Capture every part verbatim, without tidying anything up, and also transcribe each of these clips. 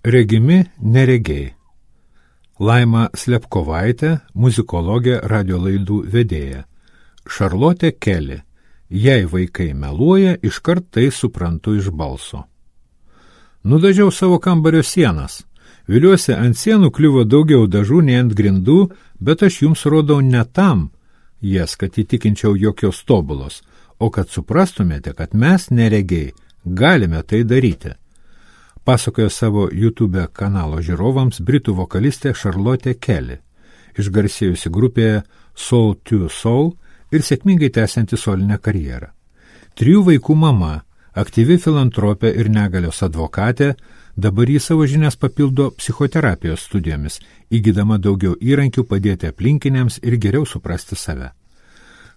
Regimi neregiai. Laima Slepkovaitė, muzikologė, radio laidų vedėja. Šarlotė Keli. Jei vaikai meluoja, iškart tai suprantu iš balso. Nudažiau savo kambario sienas. Viliuosi, ant sienų kliuvo daugiau dažų nei ant grindų, bet aš jums rodau ne tam, jas, kad įtikinčiau jokios tobulos, o kad suprastumėte, kad mes neregiai galime tai daryti. Pasakojo savo YouTube kanalo žiūrovams britų vokalistė Šarlotė Keli, išgarsėjusi grupėje Soul to Soul ir sėkmingai tęsianti solinę karjerą. Trijų vaikų mama, aktyvi filantropė ir negalios advokatė, dabar į savo žinias papildo psichoterapijos studijomis, įgydama daugiau įrankių padėti aplinkiniams ir geriau suprasti save.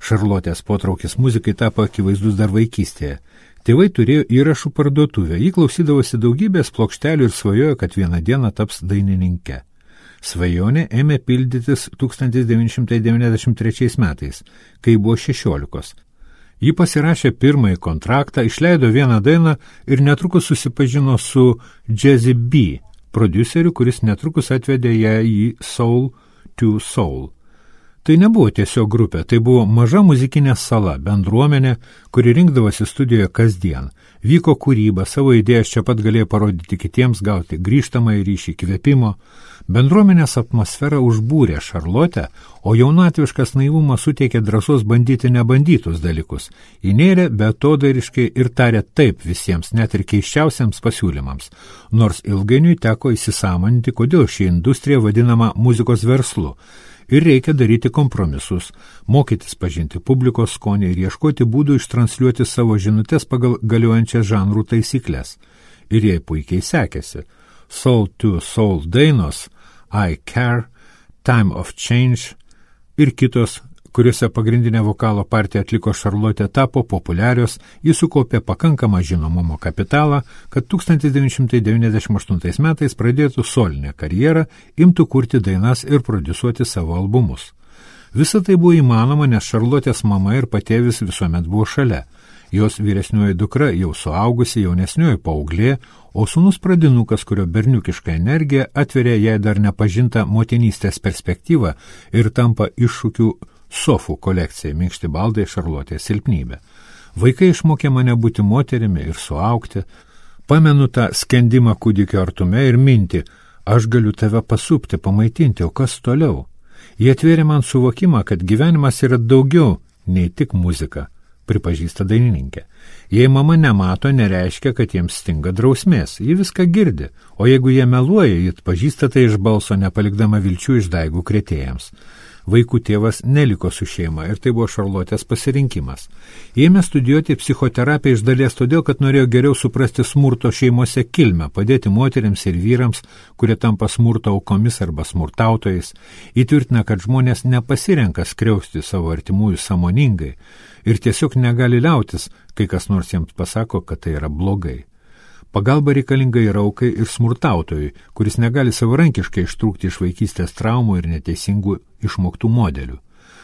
Šarlotės potraukis muzikai tapo akivaizdus dar vaikystėje. Tėvai turėjo įrašų parduotuvę, jį klausydavosi daugybės plokštelių ir svajojo, kad vieną dieną taps dainininke. Svajonė ėmė pildytis tūkstantis devyni šimtai devyniasdešimt trečiais metais, kai buvo šešiolikos. Ji pasirašė pirmąjį kontraktą, išleido vieną dainą ir netrukus susipažino su Jazzy B, prodiuseriu, kuris netrukus atvedė ją į Soul to Soul. Tai nebuvo tiesiog grupė, tai buvo maža muzikinė sala, bendruomenė, kuri rinkdavosi studijoje kasdien. Vyko kūryba, savo idėjas čia pat galėjo parodyti kitiems, gauti grįžtamąjį ryšį, kvėpimo. Bendruomenės atmosfera užbūrė Šarlotę, o jaunatviškas naivumas suteikė drąsos bandyti nebandytus dalykus. Įnėrė beatodairiškai ir tarė taip visiems, net ir keisčiausiams pasiūlymams, nors ilgainiui teko įsisąmoninti, kodėl ši industrija vadinama muzikos verslu. Ir reikia daryti kompromisus, mokytis pažinti publikos skonį ir ieškoti būdų ištransliuoti savo žinutės pagal galiojančias žanrų taisyklės. Ir jai puikiai sekėsi. Soul to Soul dainos, I Care, Time of Change ir kitos, kuriuose pagrindinę vokalo partiją atliko Šarlotė, tapo populiarios, jis sukaupė pakankamą žinomumo kapitalą, kad tūkstantis devyni šimtai devyniasdešimt aštuntais metais pradėtų solinę karjerą, imtų kurti dainas ir prodiusuoti savo albumus. Visa tai buvo įmanoma, nes Šarlotės mama ir patėvis visuomet buvo šalia. Jos vyresnioji dukra jau suaugusi, jaunesnioji paauglė, o sūnus pradinukas, kurio berniukiška energija atveria jai dar nepažintą motinystės perspektyvą ir tampa iššūkių sofų kolekcijai, minkšti baldai Šarlotės silpnybė. Vaikai išmokė mane būti moterimi ir suaugti. Pamenu tą skendimą kūdikio artume ir mintį, aš galiu tave pasupti, pamaitinti, o kas toliau? Jie atvėrė man suvokimą, kad gyvenimas yra daugiau nei tik muzika, pripažįsta dainininkė. Jei mama nemato, nereiškia, kad jiems stinga drausmės, ji viską girdi, o jeigu jie meluoja, ji atpažįsta tai iš balso, nepalikdama vilčių išdaigų krėtėjams. Vaikų tėvas neliko su šeima ir tai buvo Šarlotės pasirinkimas. Ėmė studijuoti psichoterapiją iš dalies todėl, kad norėjo geriau suprasti smurto šeimose kilmę, padėti moteriams ir vyrams, kurie tampa smurto aukomis arba smurtautojais, įtvirtina, kad žmonės nepasirenka skriausti savo artimųjų sąmoningai ir tiesiog negali liautis, kai kas nors jiems pasako, kad tai yra blogai. Pagalba reikalinga ir aukai ir smurtautojui, kuris negali savarankiškai ištrūkti iš vaikystės traumų ir neteisingų išmoktų modelių.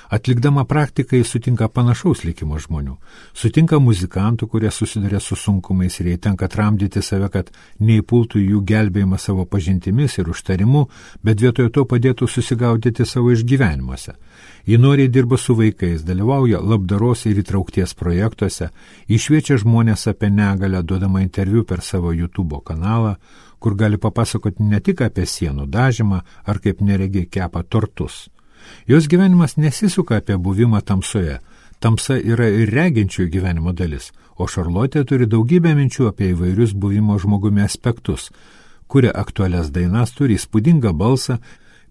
Atlikdama praktiką jis sutinka panašaus likimo žmonių. Sutinka muzikantų, kurie susiduria su sunkumais ir jai tenka tramdyti save, kad neįpultų jų gelbėjimą savo pažintimis ir užtarimu, bet vietoje to padėtų susigaudyti savo išgyvenimuose. Ji noriai dirba su vaikais, dalyvauja labdaros ir įtraukties projektuose, išviečia žmonės apie negalią, duodama interviu per savo YouTube kanalą, kur gali papasakoti ne tik apie sienų dažymą ar kaip neregiai kepa tortus. Jos gyvenimas nesisuka apie buvimą tamsoje. Tamsa yra ir reginčiųjų gyvenimo dalis, o Šarlotė turi daugybę minčių apie įvairius buvimo žmogumi aspektus, kuria aktualias dainas, turi įspūdingą balsą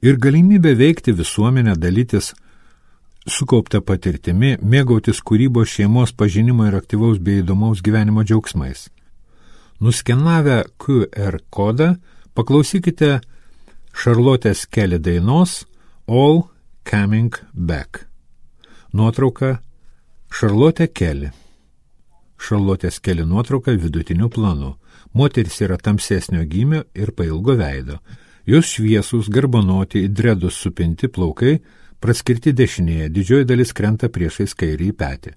ir galimybę veikti visuomenę, dalytis sukauptą patirtimi, mėgautis kūrybos, šeimos pažinimo ir aktyvaus bei įdomaus gyvenimo džiaugsmais. Nuskenavę Q R kodą paklausykite Šarlotės Keli dainos All Coming Back. Nuotrauka Šarlotė Keli. Šarlotės Keli nuotrauka vidutiniu planu. Moteris yra tamsesnio gymio ir pailgo veido. Jos šviesūs, garbanoti, į dredus supinti plaukai, praskirti dešinėje, didžioji dalis krenta priešais kairį petį.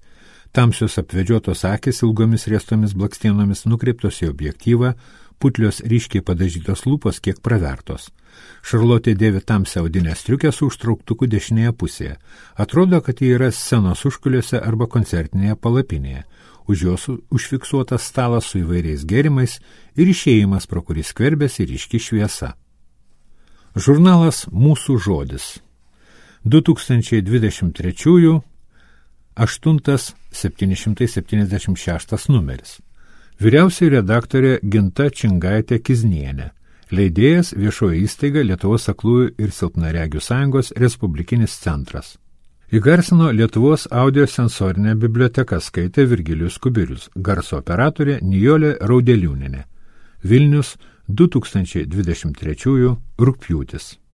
Tamsios apvedžiotos akis ilgomis riestomis blakstienomis nukreiptos į objektyvą, putlios ryškiai padažytos lūpos kiek pravertos. Šarlotė dėvi tamsią audinę striukę su užtrauktuku dešinėje pusėje. Atrodo, kad ji yra scenos užkuliuose arba koncertinėje palapinėje. Už jos užfiksuotas stalas su įvairiais gėrimais ir išėjimas, pro kurį skverbėsi ryški šviesa. Žurnalas Mūsų žodis. du tūkstančiai dvidešimt trečiųjų aštuntas septyni šimtai septyniasdešimt šeštas numeris. Vyriausioji redaktorė Ginta Čingaitė Kiznienė. Leidėjas viešoji įstaiga Lietuvos aklųjų ir silpnaregių sąjungos Respublikinis centras. Įgarsino Lietuvos audiosensorinė biblioteka, skaitė Virgilijus Kubilius, garso operatorė Nijolė Raudeliūnienė. Vilnius, du tūkstančiai dvidešimt trečiųjų rugpjūtis.